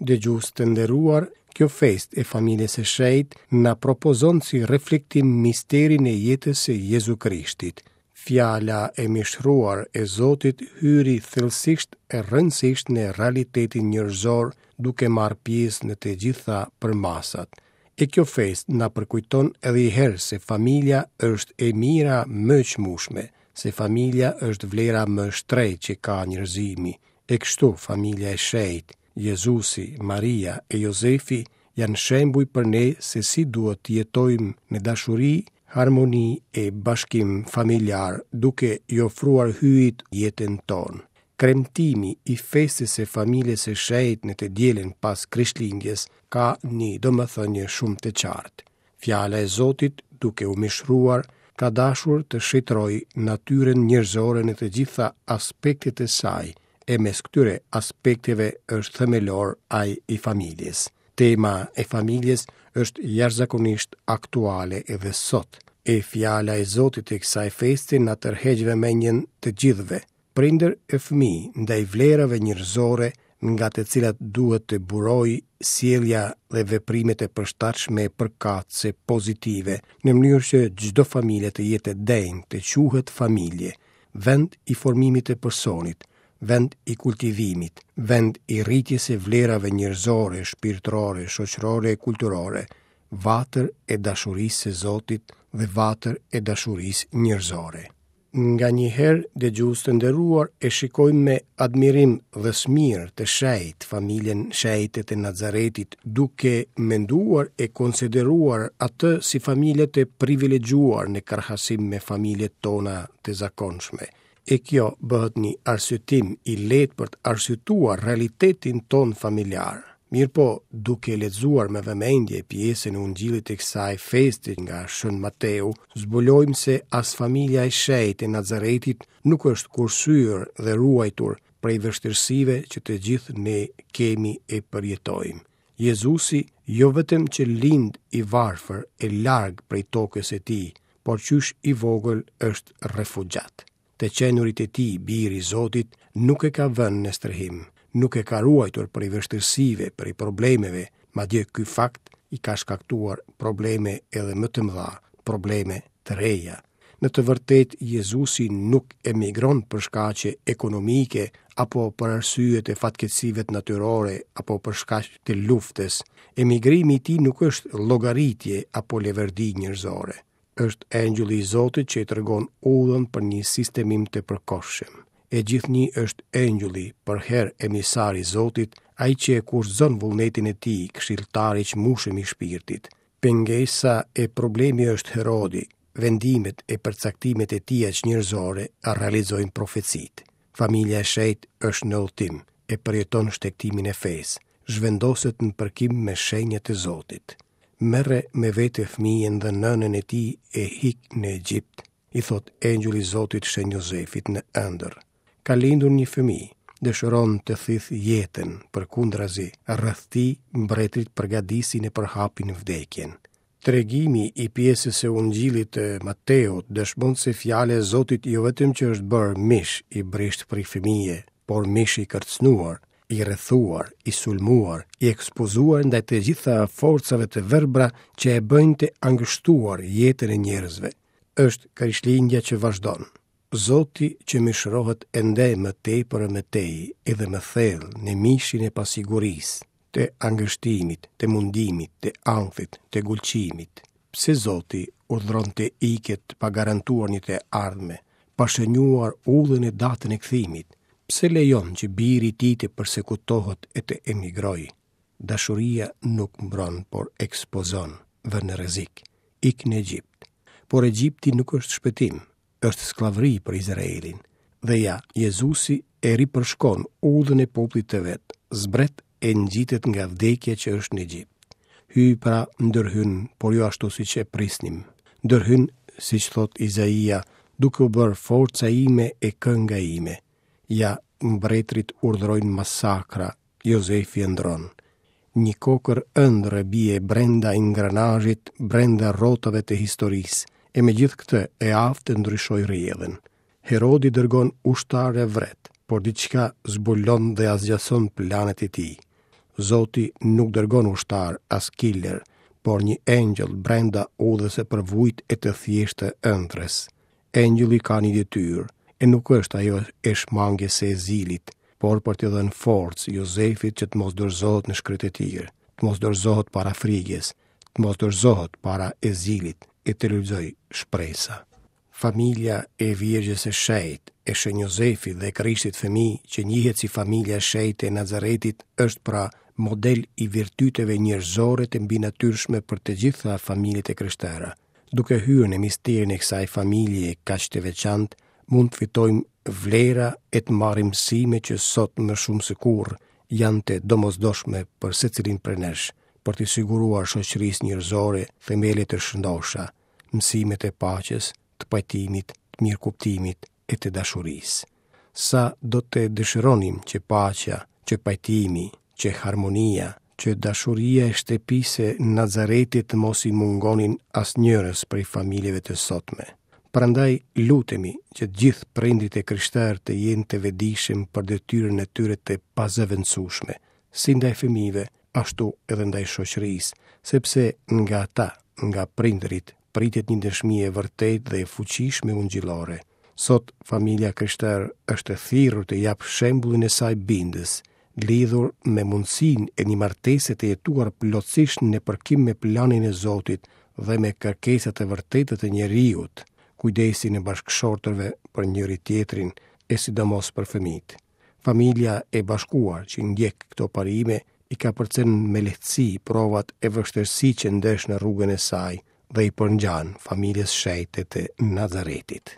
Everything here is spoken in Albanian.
Dëgjues të nderuar, kjo festë e familjes së shenjtë na propozon si reflektim misterin e jetës së Jezu Krishtit. Fjala e mishëruar e Zotit hyri thellësisht e rrënjësisht në realitetin njerëzor duke marrë pjesë në të gjitha përmasat. E kjo festë na përkujton edhe një herë se familja është e mira më e çmueshme, se familja është vlera më e shtrenjtë që ka njerëzimi. E kështu familja e shenjtë, Jezusi, Maria e Jozefi janë shembuj për ne se si duhet të jetojmë në dashuri, harmoni e bashkim familjar, duke i ofruar Hyjit jetën tonë. Kremtimi i festës së familjes së shenjtë në të dielën pas Krishtlindjes ka një domethënie shumë të qartë. Fjala e Zotit, duke u mishëruar, ka dashur të shenjtërojë natyrën njerëzore në të gjitha aspektet e saj, e mes këtyre aspekteve është themelor ai i familjes. Tema e familjes është jashtëzakonisht aktuale edhe sot. E fjala e Zotit e kësaj feste na tërheq vëmendjen të gjithëve, prindër e fëmijë ndaj vlerave njerëzore nga të cilat duhet të burojë sjellja dhe veprimet e përshtatshme përkatëse pozitive, në mënyrë që çdo familje të jetë e denjë të quhet familje, vend i formimit të personit, vend i kultivimit, vend i rritjes së vlerave njerëzore, shpirtërore, shoqërore e kulturore, vatër e dashurisë së Zotit dhe vatër e dashurisë njerëzore. Nganjëherë, dëgjues të nderuar, e shikojmë me admirim dhe smirë të shenjtë familjen shenjte të Nazaretit, duke menduar e konsideruar atë si familje të privilegjuar në krahasim me familjet tona të zakonshme. E kjo bëhet një arsyetim i lehtë për të arsyetuar realitetin tonë familjar. Mirëpo, duke lexuar me vëmendje pjesën e Ungjillit të kësaj feste nga Shën Mateu, zbulojmë se as familja e shenjtë e Nazaretit nuk është kursyer dhe ruajtur prej vështirësive që të gjithë ne kemi e përjetojmë. Jezusi jo vetëm që lind i varfër e larg prej tokës së tij, por qysh i vogël është refugjat. Të qenurit e tij bir i Zotit nuk e ka vënë në strehim, nuk e ka ruajtur prej vështirësive, prej problemeve, madje ky fakt i ka shkaktuar probleme edhe më të mëdha, probleme të reja. Në të vërtetë Jezusi nuk emigron për shkaqe ekonomike apo për arsye të fatkeqësive natyrore apo për shkaq të luftës. Emigrimi i tij nuk është llogaritje apo leverdi njerëzore. Është engjëlli i Zotit që i tregon udhën për një sistemim të përkohshëm. E gjithnjë është engjëlli, përherë emisar i Zotit, ai që e kushtëzon vullnetin e tij, këshilltari i çmueshëm i shpirtit. Pengesa e problemi është Herodi, vendimet e përcaktimet e tija çnjerëzore realizojnë profecitë. Familja e shenjtë është në udhëtim, e përjeton shtegtimin e fesë, zhvendoset në përkim me shenjat e Zotit. Merre me vete fëmijën dhe nënën e tij e ik në Egjipt, i thotë engjëlli i Zotit Shën Jozefit në ëndërr. Ka lindur një fëmijë, dëshiron të thithë jetën, përkundrazi, rreth tij mbretërit përgatisin e përhapin vdekjen. Tregimi i pjesës së Ungjillit të Mateut dëshmon se fjala e Zotit jo vetëm që është bërë mish i brishtë prej fëmije, por mish i kërcënuar, i rrethuar, i sulmuar, i ekspozuar ndaj të gjitha forcave të verbra që e bëjnë të angështuar jetën e njerëzve. Është Krishtlindja që vazhdon. Zoti që mishërohet ende më tepër e më tej, edhe më thellë në mishin e pasigurisë, të angështimit, të mundimit, të ankthit, të gulçimit. Pse Zoti urdhëron të iket pa garantuar një të ardhme, pa shënjuar udhën e datën e kthimit? Pse lejon që biri i tij të persekutohet e të emigrojë? Dashuria nuk mbron, por ekspozon, vë në rrezik. Ik në Egjipt. Por Egjipti nuk është shpëtim, është skllavëri për Izraelin. Dhe ja, Jezusi e ripërshkon udhën e popullit të vet, zbret e ngjitet nga vdekja që është në Egjipt. Hyji pra ndërhyn, por jo ashtu siç e prisnim. Ndërhyn, siç thotë Izaia, duke u bërë forca ime e kënga ime. Ja, mbretërit urdhërojnë masakra, Jozefi ëndërron. Një kokërr ëndrre bie brenda ingranazhit, brenda rrotave të historisë, e megjithëkëtë e aftë të ndryshojë rrjedhën. Herodi dërgon ushtarë e vret, por diçka zbulon dhe asgjëson planet e tij. Zoti nuk dërgon ushtarë as killer, por një engjëll brenda udhës së përvujtë e të thjeshtë të ëndrrës. Engjëlli ka një detyrë, e nuk është ajo e shmangies së ezilit, por për t'i dhënë forcë Jozefit që të mos dorëzohet në shkretëtirë, të mos dorëzohet para frigës, të mos dorëzohet para ezilit e të lulëzojë shpresa. Familja e Virgjës së Shenjtë, e Shën Jozefit dhe Krishtit fëmijë, që njihet si familja e shenjtë e Nazaretit, është pra model i virtyteve njerëzore të mbinatyrshme për të gjitha familjet e krishtera. Duke hyrë në misterin e kësaj familjeje kaq të veçantë, mund të fitojmë vlera e të marrim mësime që sot më shumë se kurrë janë të domosdoshme për secilin prej nesh, për t'i siguruar shoqërisë njerëzore themele të shëndosha, mësimet e paqes, të pajtimit, të mirëkuptimit e të dashurisë. Sa do të dëshironim që paqja, që pajtimi, që harmonia, që dashuria e shtëpisë së Nazaretit të mos i mungonin asnjërës prej familjeve të sotme. Prandaj lutemi që të gjithë prindërit e krishterë të jenë të vetëdijshëm për detyrën e tyre të pazëvendësueshme, si ndaj fëmijëve, ashtu edhe ndaj shoqërisë, sepse nga ata, nga prindërit, pritet një dëshmi e vërtetë dhe e fuqishme ungjillore. Sot familja e krishterë është e thirrur të japë shembullin e saj bindës, lidhur me mundësinë e një martese të jetuar plotësisht në përkim me planin e Zotit dhe me kërkesat e vërteta të njeriut, kujdesin e bashkëshortëve për njëri-tjetrin e sidomos për fëmijët. Familja e bashkuar që ndjek këto parime i kapërcen me lehtësi provat e vështirësitë që ndesh në rrugën e saj dhe i përngjan familjes shenjte të Nazaretit.